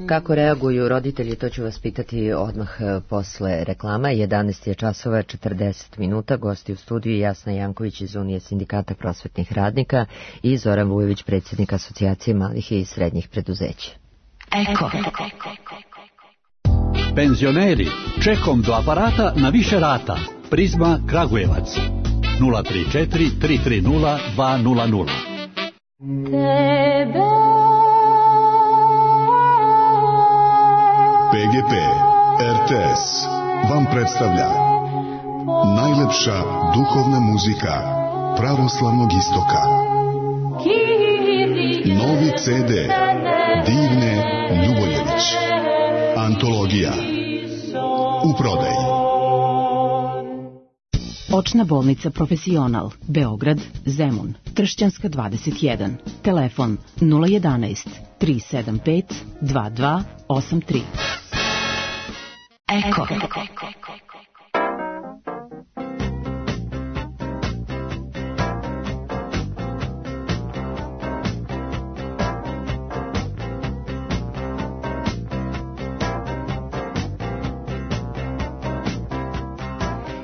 Kako reaguju roditelji, to ću vas pitati odmah posle reklama. jedanaest je časova četrdeset minuta, gosti u studiju Jasna Janković iz Unije sindikata prosvetnih radnika i Zoran Vujović, predsjednik Asocijacije malih i srednjih preduzeća. Eko. Penzioneri, čekom do aparata na više rata. Prizma Kragujevac. nula tri četiri tri tri nula dva nula nula. P G P R T S vam predstavlja najlepša duhovna muzika pravoslavnog istoka. Novi C D Divne Ljuboljević. Antologija u prodaji. Očna bolnica Profesional, Beograd, Zemun, Tršćanska dvadeset jedan. Telefon nula jedanaest tri sedam pet dva dva osam tri. Eko.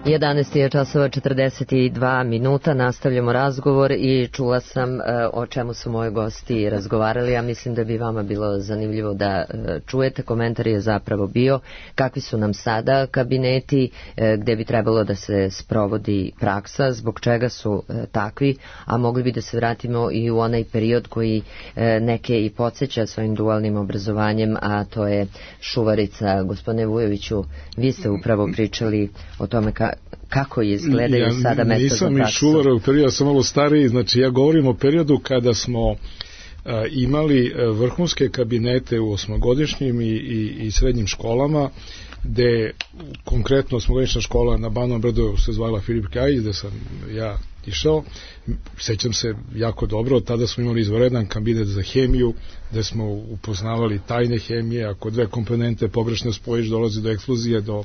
jedanaest je časova četrdeset dva minuta, nastavljamo razgovor i čula sam uh, o čemu su moji gosti razgovarali. Ja mislim da bi vama bilo zanimljivo da uh, čujete. Komentar je zapravo bio kakvi su nam sada kabineti, uh, gde bi trebalo da se sprovodi praksa, zbog čega su uh, takvi, a mogli bi da se vratimo i u onaj period koji uh, neke i podsjeća svojim dualnim obrazovanjem, a to je šuvarica. Gospodine Vujoviću, vi ste upravo pričali o tome ka kako izgledaju ja, sada mesta za praksu. Nisam iz šuvarog perioda, ja sam malo stariji, znači ja govorim o periodu kada smo a, imali vrhunske kabinete u osmogodišnjim i, i, i srednjim školama, gde konkretno osmogodišnja škola na Banom Brdu se zvala Filip Kajić, gde sam ja išao. Sećam se jako dobro, tada smo imali izvanredan kabinet za hemiju, gde smo upoznavali tajne hemije, ako dve komponente pogrešno spojiš, dolazi do eksplozije, do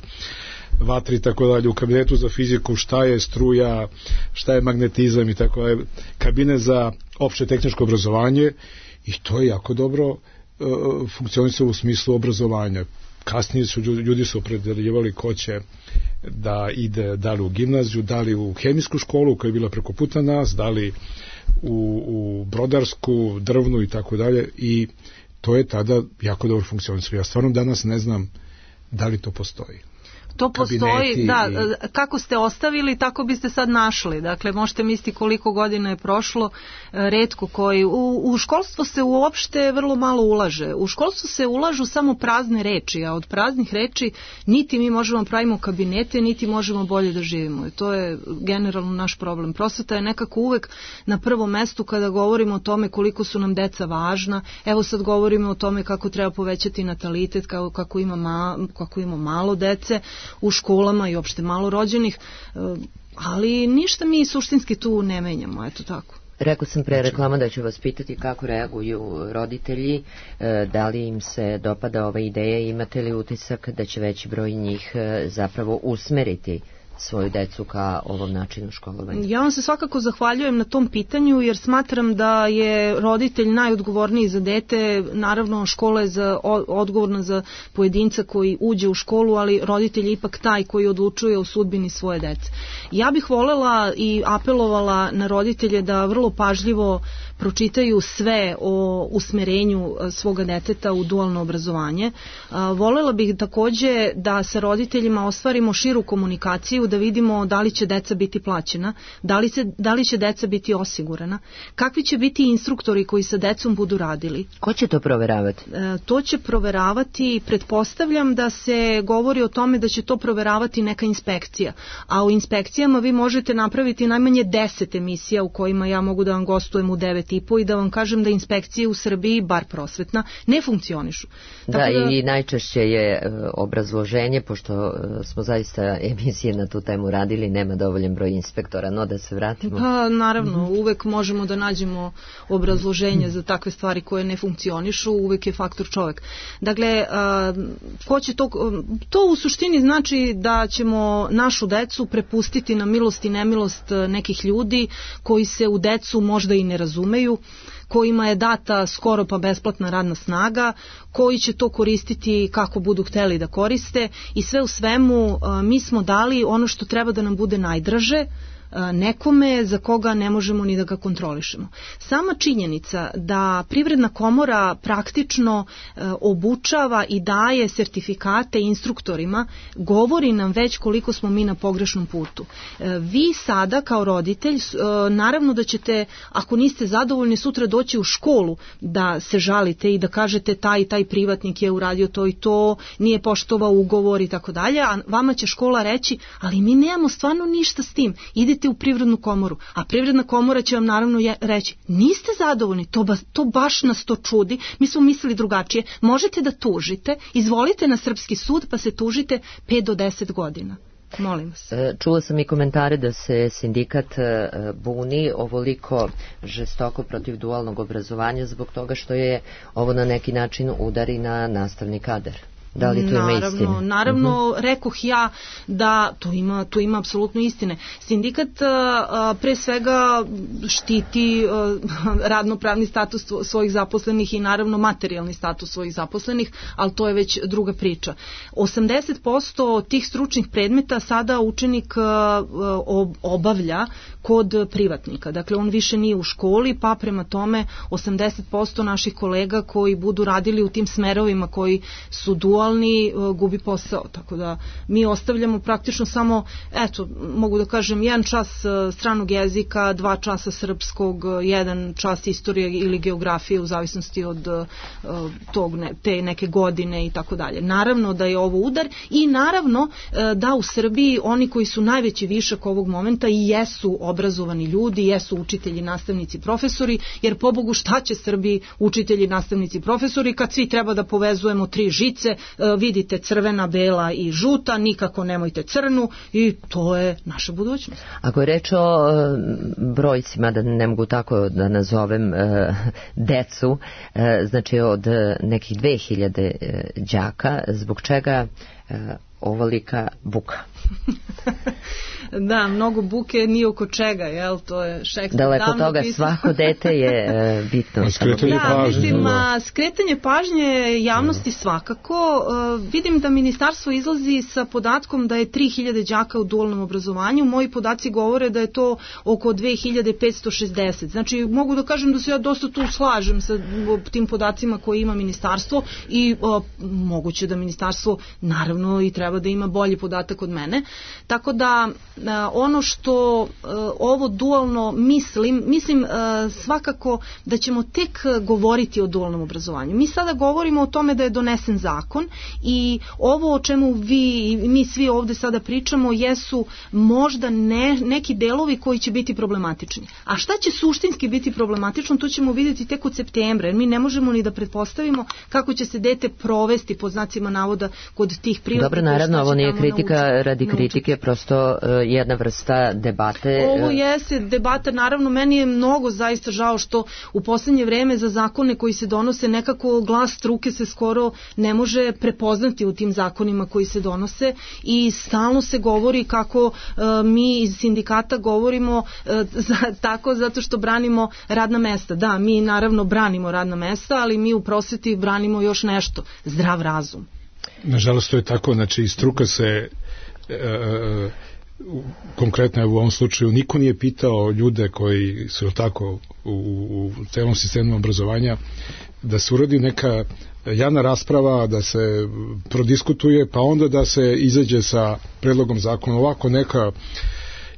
vatri i tako dalje. U kabinetu za fiziku šta je struja, šta je magnetizam i tako dalje. Kabinet za opšte tehničko obrazovanje, i to je jako dobro uh, funkcionisalo u smislu obrazovanja. Kasnije su ljudi su opredeljivali ko će da ide da li u gimnaziju, da li u hemijsku školu koja je bila preko puta nas, da li u, u brodarsku, drvnu i tako dalje, i to je tada jako dobro funkcionisalo. Ja stvarno danas ne znam da li to postoji. To postoji, da, i... kako ste ostavili, tako biste sad našli. Dakle, možete misliti koliko godina je prošlo, retko koji. U, u školstvo se uopšte vrlo malo ulaže. U školstvo se ulažu samo prazne reči, a od praznih reči niti mi možemo pravimo kabinete, niti možemo bolje da živimo. I to je generalno naš problem. Prosveta je nekako uvek na prvom mestu kada govorimo o tome koliko su nam deca važna. Evo sad govorimo o tome kako treba povećati natalitet, kako, kako, ima, ma, kako ima malo dece. u školama i opšte malorođenih, ali ništa mi suštinski tu ne menjamo, eto tako. Rekao sam pre reklama da ću vas pitati kako reaguju roditelji, da li im se dopada ova ideja i imate li utisak da će veći broj njih zapravo usmeriti svoju decu ka ovom načinu školovanja? Ja vam se svakako zahvaljujem na tom pitanju, jer smatram da je roditelj najodgovorniji za dete. Naravno, škola je za, odgovorna za pojedinca koji uđe u školu, ali roditelj je ipak taj koji odlučuje o sudbini svoje dece. Ja bih volela i apelovala na roditelje da vrlo pažljivo pročitaju sve o usmerenju svoga deteta u dualno obrazovanje. Volela bih takođe da sa roditeljima ostvarimo širu komunikaciju, da vidimo da li će deca biti plaćena, da li, se, da li će deca biti osigurana, kakvi će biti instruktori koji sa decom budu radili. Ko će to proveravati? E, to će proveravati, pretpostavljam da se govori o tome da će to proveravati neka inspekcija, a u inspekcijama vi možete napraviti najmanje deset emisija u kojima ja mogu da vam gostujem u devet i po i da vam kažem da inspekcije u Srbiji, bar prosvetna, ne funkcionišu. Da, da, i najčešće je obrazloženje, pošto smo zaista emisije na tu temu radili, nema dovoljan broj inspektora, no da se vratimo. Pa naravno, uvek možemo da nađemo obrazloženje za takve stvari koje ne funkcionišu, uvek je faktor čovek. Dakle, ko će to, to u suštini znači da ćemo našu decu prepustiti na milost i nemilost nekih ljudi koji se u decu možda i ne razumeju, kojima je data skoro pa besplatna radna snaga, koji će to koristiti kako budu hteli da koriste i sve u svemu mi smo dali ono što treba da nam bude najdraže, nekome za koga ne možemo ni da ga kontrolišemo. Sama činjenica da Privredna komora praktično obučava i daje sertifikate instruktorima govori nam već koliko smo mi na pogrešnom putu. Vi sada kao roditelj, naravno da ćete, ako niste zadovoljni, sutra doći u školu da se žalite i da kažete taj i taj privatnik je uradio to i to, nije poštovao ugovor i tako dalje, a vama će škola reći, ali mi nemamo stvarno ništa s tim, idite u Privrednu komoru, a Privredna komora će vam naravno reći, niste zadovoljni, to, ba, to baš nas to čudi, mi smo mislili drugačije, možete da tužite, izvolite na srpski sud pa se tužite pet do deset godina. Molim vas. Čula sam i komentare da se sindikat buni ovoliko žestoko protiv dualnog obrazovanja zbog toga što je ovo na neki način udari na nastavni kadar. Da li to ima naravno, istine? Naravno, uh-huh. rekoh ja da to ima, to ima apsolutno istine. Sindikat a, pre svega štiti a, radnopravni status svojih zaposlenih i naravno materijalni status svojih zaposlenih, ali to je već druga priča. osamdeset posto tih stručnih predmeta sada učenik a, obavlja kod privatnika. Dakle, on više nije u školi, pa prema tome osamdeset posto naših kolega koji budu radili u tim smerovima koji su dualni gubi posao, tako da mi ostavljamo praktično samo, eto, mogu da kažem, jedan čas stranog jezika, dva časa srpskog, jedan čas istorije ili geografije u zavisnosti od tog, te neke godine i tako dalje. Naravno da je ovo udar i naravno da u Srbiji oni koji su najveći višak ovog momenta i jesu obrazovani ljudi, jesu učitelji, nastavnici, profesori, jer pobogu šta će Srbiji učitelji, nastavnici, profesori kad svi treba da povezujemo tri žice, vidite crvena, bela i žuta, nikako nemojte crnu i to je naša budućnost. Ako je reč o brojcima, da ne mogu tako da nazovem decu, znači od nekih dve hiljade đaka, zbog čega ovolika buka? Da, mnogo buke nije oko čega, jel? To je Šekspir. Daleko toga, pisao. Svako dete je e, bitno. Skretanje da, pažnje. Mislim, a, skretanje pažnje javnosti svakako. A, vidim da ministarstvo izlazi sa podatkom da je tri hiljade đaka u dualnom obrazovanju. Moji podaci govore da je to oko dve hiljade petsto šezdeset. Znači, mogu da kažem da se ja dosta tu slažem sa tim podacima koje ima ministarstvo i a, moguće da ministarstvo naravno i treba da ima bolji podatak od mene. Tako da ono što ovo dualno mislim, mislim svakako da ćemo tek govoriti o dualnom obrazovanju. Mi sada govorimo o tome da je donesen zakon i ovo o čemu vi i mi svi ovde sada pričamo jesu možda ne, neki delovi koji će biti problematični. A šta će suštinski biti problematično, to ćemo vidjeti tek od septembra, jer mi ne možemo ni da pretpostavimo kako će se dete provesti pod znacima navoda kod tih privatnika. Dobro, naravno, ovo nije kritika nauči, radi nauči. kritike, prosto uh, jedna vrsta debate. Ovo jeste debata, naravno, meni je mnogo zaista žao što u poslednje vreme za zakone koji se donose nekako glas struke se skoro ne može prepoznati u tim zakonima koji se donose i stalno se govori kako uh, mi iz sindikata govorimo uh, za, tako zato što branimo radna mesta. Da, mi naravno branimo radna mesta, ali mi u prosveti branimo još nešto, zdrav razum. Nažalost to je tako, znači struka se e, e, konkretno u ovom slučaju niko nije pitao ljude koji su tako u, u celom sistemu obrazovanja da se uradi neka javna rasprava, da se prodiskutuje, pa onda da se izađe sa predlogom zakona. Ovako neka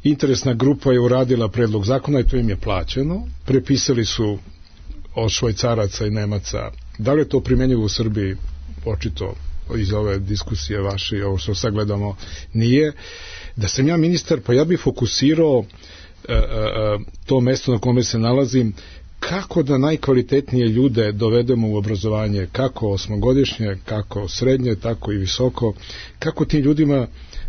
interesna grupa je uradila predlog zakona i to im je plaćeno, prepisali su od Švajcaraca i Nemaca. Da li je to primenjivo u Srbiji? Očito iz ove diskusije vaše i ovo što sad gledamo nije. Da sam ja ministar, pa ja bih fokusirao e, e, to mesto na kome se nalazim, kako da najkvalitetnije ljude dovedemo u obrazovanje, kako osmogodišnje, kako srednje, tako i visoko, kako tim ljudima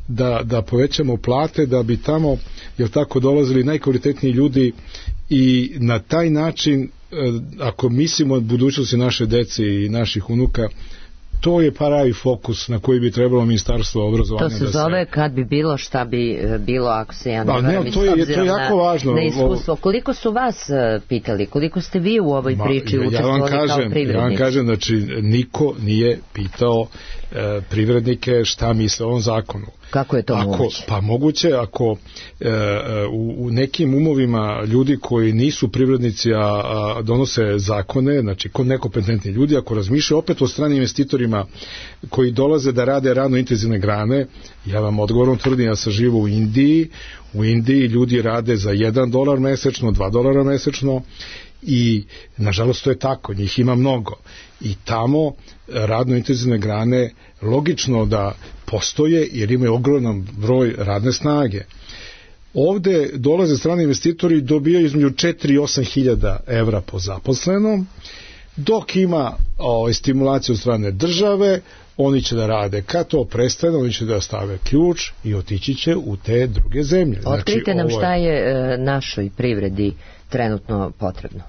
da, da povećamo plate, da bi tamo, jel tako, dolazili najkvalitetniji ljudi i na taj način, ako mislimo o budućnosti naše dece i naših unuka, to je pravi fokus na koji bi trebalo ministarstvo obrazovanja da se... To se zove kad bi bilo šta bi bilo, ako se ja ne varam, ne, to je, to je jako na, važno. Na iskustvo. Koliko su vas pitali, koliko ste vi u ovoj Ma, priči ja učestvovali kažem, kao privrednici? Ja vam kažem, znači, niko nije pitao e, privrednike šta misle o ovom zakonu. Kako je to ako, moguće? Pa moguće ako e, u, u nekim umovima ljudi koji nisu privrednici, a, a donose zakone, znači kod nekompetentni ljudi, ako razmišljaju opet o stranim investitorima koji dolaze da rade radno intenzivne grane, ja vam odgovorno tvrdim, ja sam živo u Indiji, u Indiji ljudi rade za jedan dolar mesečno, dva dolara mesečno i nažalost to je tako, njih ima mnogo i tamo radno intenzivne grane logično da postoje jer imaju ogroman broj radne snage. Ovde dolaze strani investitori i dobijaju između četiri i osam hiljada evra po zaposlenom, dok ima o, stimulaciju od strane države, oni će da rade. Kad to prestane, oni će da stave ključ i otići će u te druge zemlje. Otkrite znači, nam ovo je... šta je e, našoj privredi trenutno potrebno.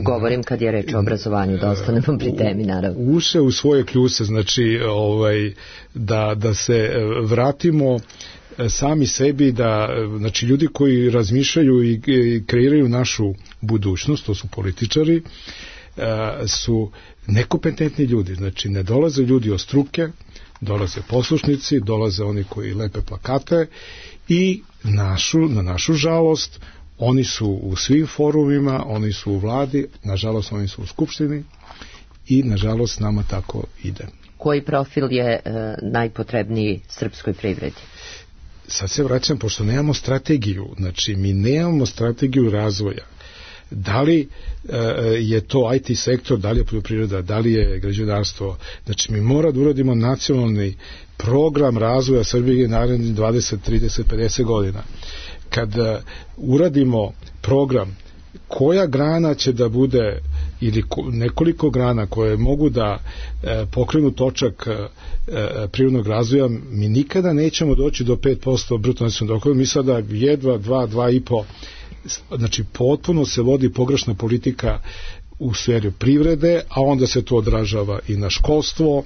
Govorim kad je reč o obrazovanju, da ostanemo pri temi, naravno. Uše u svoje kljuse, znači ovaj, da, da se vratimo sami sebi, da, znači ljudi koji razmišljaju i, i kreiraju našu budućnost, to su političari, su nekompetentni ljudi, znači ne dolaze ljudi od struke, dolaze poslušnici, dolaze oni koji lepe plakate i našu, na našu žalost oni su u svim forumima, oni su u vladi, nažalost oni su u skupštini i nažalost nama tako ide. Koji profil je e, najpotrebniji srpskoj privredi? Sad se vraćam, pošto nemamo strategiju, znači mi nemamo strategiju razvoja. Da li e, je to I T sektor, da li je poljoprivreda, da li je građevinarstvo, znači mi moramo da uradimo nacionalni program razvoja Srbije narednih dvadeset, trideset, pedeset godina. Kad uh, uradimo program koja grana će da bude ili ko, nekoliko grana koje mogu da uh, pokrenu točak uh, uh, prirodnog razvoja, mi nikada nećemo doći do pet posto bruto nacionalnog dohotka, mi sada jedva dva, dva i po, znači potpuno se vodi pogrešna politika u sferi privrede, a onda se to odražava i na školstvo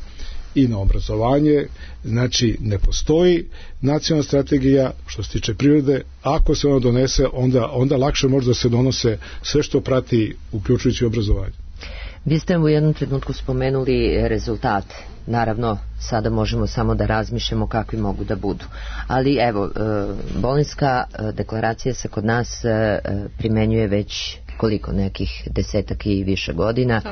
i na obrazovanje, znači ne postoji nacionalna strategija što se tiče privrede, ako se ona donese, onda, onda lakše može da se donose sve što prati, uključujući obrazovanje. Vi ste u jednom trenutku spomenuli rezultate. Naravno, sada možemo samo da razmišljamo kakvi mogu da budu. Ali evo, Bolonjska deklaracija se kod nas primenjuje već koliko, nekih desetak i više godina.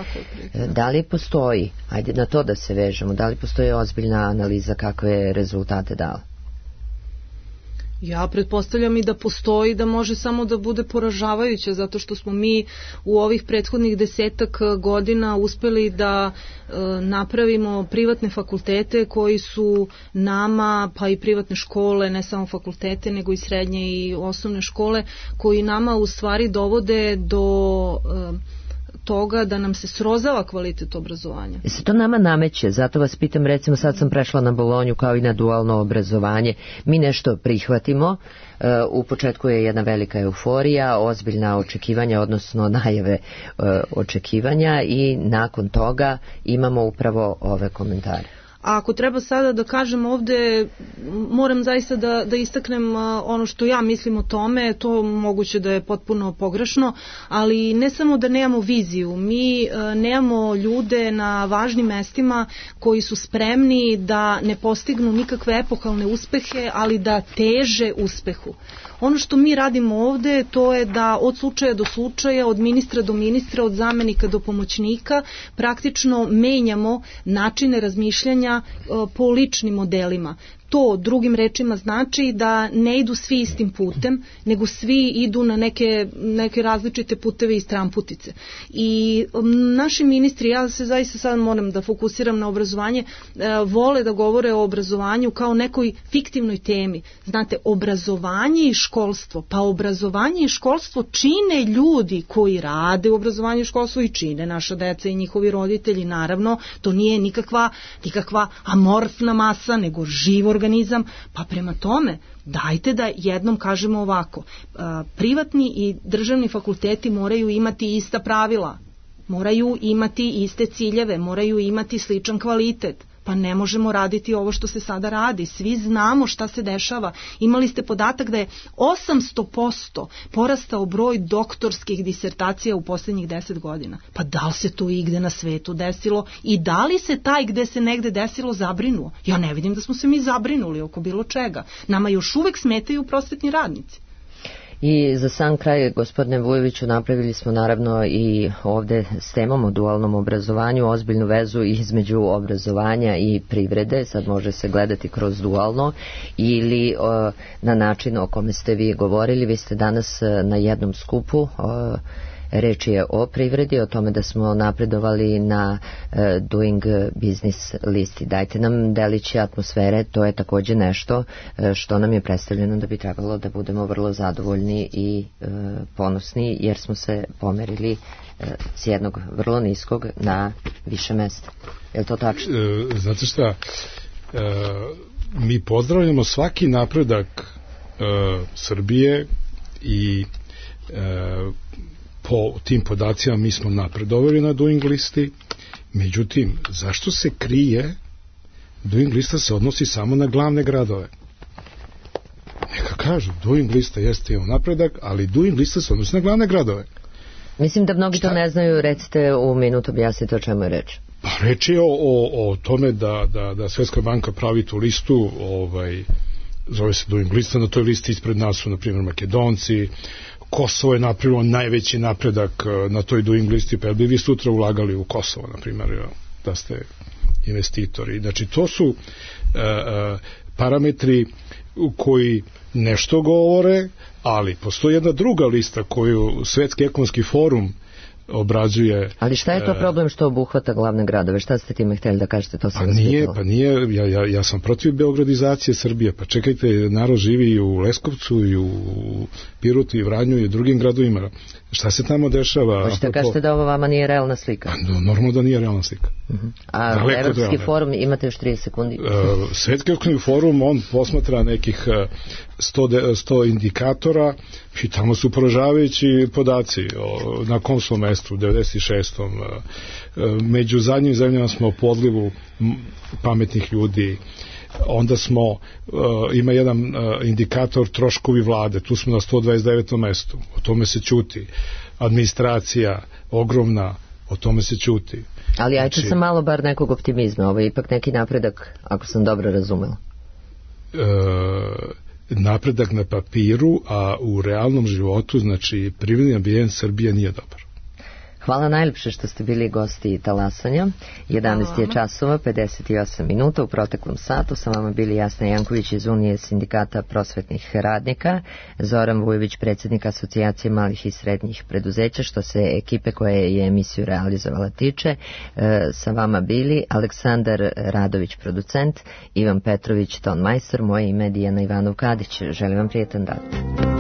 Da li postoji, ajde na to da se vežemo, da li postoji ozbiljna analiza kakve rezultate dala? Ja pretpostavljam i da postoji, da može samo da bude poražavajuće, zato što smo mi u ovih prethodnih desetak godina uspeli da e, napravimo privatne fakultete koji su nama, pa i privatne škole, ne samo fakultete, nego i srednje i osnovne škole, koji nama u stvari dovode do E, toga da nam se srozava kvalitet obrazovanja. I se to nama nameće, zato vas pitam, recimo sad sam prešla na Bolonju kao i na dualno obrazovanje, mi nešto prihvatimo, u početku je jedna velika euforija, ozbiljna očekivanja, odnosno najave očekivanja i nakon toga imamo upravo ove komentare. A ako treba sada da kažem ovde, moram zaista da, da istaknem ono što ja mislim o tome, to moguće da je potpuno pogrešno, ali ne samo da nemamo viziju, mi nemamo ljude na važnim mestima koji su spremni da ne postignu nikakve epohalne uspehe, ali da teže uspehu. Ono što mi radimo ovde, to je da od slučaja do slučaja, od ministra do ministra, od zamenika do pomoćnika, praktično menjamo načine razmišljanja po ličnim modelima. To drugim rečima znači da ne idu svi istim putem, nego svi idu na neke, neke različite puteve i stramputice. I naši ministri, ja se zaista sad moram da fokusiram na obrazovanje, vole da govore o obrazovanju kao nekoj fiktivnoj temi. Znate, obrazovanje i školstvo, pa obrazovanje i školstvo čine ljudi koji rade u obrazovanju i školstvu i čine naša deca i njihovi roditelji, naravno, to nije nikakva, nikakva amorfna masa, nego živ organizam, pa prema tome dajte da jednom kažemo ovako, privatni i državni fakulteti moraju imati ista pravila, moraju imati iste ciljeve, moraju imati sličan kvalitet. Pa ne možemo raditi ovo što se sada radi. Svi znamo šta se dešava. Imali ste podatak da je osamsto posto porastao broj doktorskih disertacija u poslednjih deset godina. Pa da li se to igde na svetu desilo i da li se taj gde se negde desilo zabrinuo? Ja ne vidim da smo se mi zabrinuli oko bilo čega. Nama još uvek smetaju prosvetni radnici. I za sam kraj, gospodine Vujoviću, napravili smo naravno i ovde s temom o dualnom obrazovanju ozbiljnu vezu između obrazovanja i privrede. Sad može se gledati kroz dualno ili o, na način o kome ste vi govorili. Vi ste danas na jednom skupu, o, reč je o privredi, o tome da smo napredovali na uh, Doing Business listi. Dajte nam deliće atmosfere, to je takođe nešto uh, što nam je predstavljeno da bi trebalo da budemo vrlo zadovoljni i uh, ponosni, jer smo se pomerili uh, s jednog vrlo niskog na više mesta. Je li to tačno? E, znate šta, e, mi pozdravljamo svaki napredak e, Srbije i e, po tim podacima mi smo napredovali na Doing listi, međutim, zašto se krije Doing lista se odnosi samo na glavne gradove? Neka kažu, Doing lista jeste imao napredak, ali Doing lista se odnosi na glavne gradove. Mislim da mnogi Šta? to ne znaju, recite u minutu, objasnite o čemu je reč. Pa reč je o, o, o tome da, da, da Svetska banka pravi tu listu, ovaj, zove se Doing lista, na toj listi ispred nas su, na primjer, Makedonci, Kosovo je napravilo najveći napredak na toj Doing listi, pa bi vi sutra ulagali u Kosovo, na primjer, da ste investitori. Znači, to su uh, uh, parametri koji nešto govore, ali postoji jedna druga lista koju Svetski ekonomski forum obrađuje. Ali šta je to problem što obuhvata glavne gradove? Šta ste time htjeli da kažete? To sam pa nije, pa nije, ja, ja, ja sam protiv beogradizacije Srbije, pa čekajte, narod živi i u Leskovcu i u Pirotu i Vranju i u drugim gradovima. Šta se tamo dešava? Hoćete kažete da ovo vama nije realna slika? Pa, normalno da nije realna slika. Uh-huh. A daleko Evropski forum, imate još trideset sekundi. Uh, Svetski ekonomski forum, on posmatra nekih sto, sto indikatora i tamo su poražavajući podaci o, na kom smo mestu, u devedeset šestom Među zadnjim zemljama smo u podlivu pametnih ljudi. Onda smo, uh, ima jedan uh, indikator troškovi vlade, tu smo na sto dvadeset devetom mestu, o tome se ćuti. Administracija ogromna, o tome se ćuti. Ali ajte znači, sam malo bar nekog optimizma, ovo je ipak neki napredak, ako sam dobro razumela. Uh, napredak na papiru, a u realnom životu, znači privredni ambijent Srbije nije dobar. Hvala najljepše što ste bili gosti Talasanja. jedanaest je časova, pedeset osam minuta. U proteklom satu sa vama bili Jasna Janković iz Unije sindikata prosvetnih radnika, Zoran Vujović, predsjednik Asocijacije malih i srednjih preduzeća. Što se ekipe koja je emisiju realizovala tiče, sa vama bili Aleksandar Radović, producent, Ivan Petrović, ton majstor, moje ime je Dijana Ivanov Kadić. Želim vam prijetan dan.